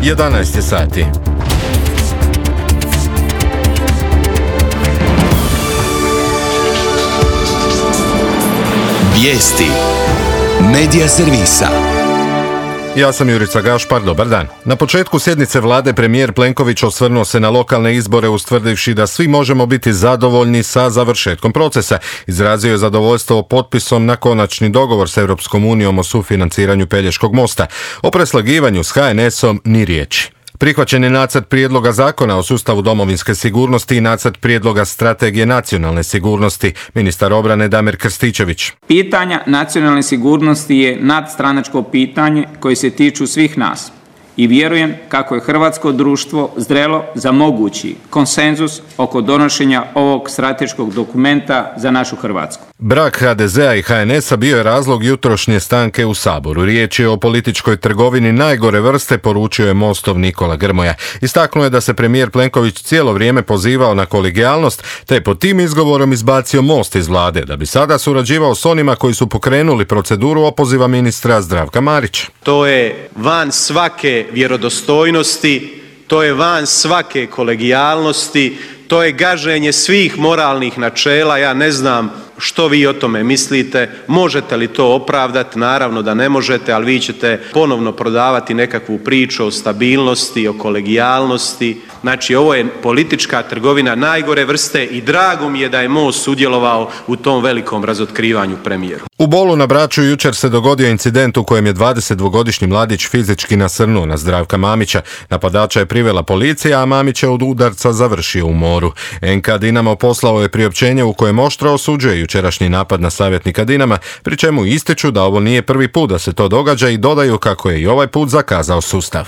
11 je sati. Vijesti Medija servisa. Ja sam Jurica Gašpar, dobar dan. Na početku sjednice vlade premijer Plenković osvrnuo se na lokalne izbore ustvrdivši da svi možemo biti zadovoljni sa završetkom procesa. Izrazio je zadovoljstvo potpisom na konačni dogovor s Europskom unijom o sufinanciranju Pelješkog mosta. O preslagivanju s HNS-om ni riječi. Prihvaćen je nacrt prijedloga zakona o sustavu domovinske sigurnosti i nacrt prijedloga strategije nacionalne sigurnosti. Ministar obrane Damir Krstičević. Pitanja nacionalne sigurnosti je nadstranačko pitanje koje se tiču svih nas. I vjerujem kako je hrvatsko društvo zrelo za mogući konsenzus oko donošenja ovog strateškog dokumenta za našu Hrvatsku. Brak HDZ-a i HNS-a bio je razlog jutrošnje stanke u Saboru. Riječ je o političkoj trgovini najgore vrste, poručio je Mostov Nikola Grmoja. Istaknuo je da se premijer Plenković cijelo vrijeme pozivao na kolegijalnost, te pod tim izgovorom izbacio Most iz vlade, da bi sada surađivao s onima koji su pokrenuli proceduru opoziva ministra Zdravka Marića. To je van svake vjerodostojnosti, to je van svake kolegijalnosti, to je gaženje svih moralnih načela. Ja ne znam što vi o tome mislite, možete li to opravdati? Naravno da ne možete, ali vi ćete ponovno prodavati nekakvu priču o stabilnosti, o kolegijalnosti. Znači, ovo je politička trgovina najgore vrste i drago mi je da je Most sudjelovao u tom velikom razotkrivanju premijeru. U Bolu na Braču jučer se dogodio incident u kojem je 22-godišnji mladić fizički nasrnuo na Zdravka Mamića. Napadača je privela policija, a Mamić je od udarca završio u moru. NK Dinamo poslao je priopćenje u kojem oštro osuđuje jučerašnji napad na savjetnika Dinama, pri čemu ističu da ovo nije prvi put da se to događa i dodaju kako je i ovaj put zakazao sustav.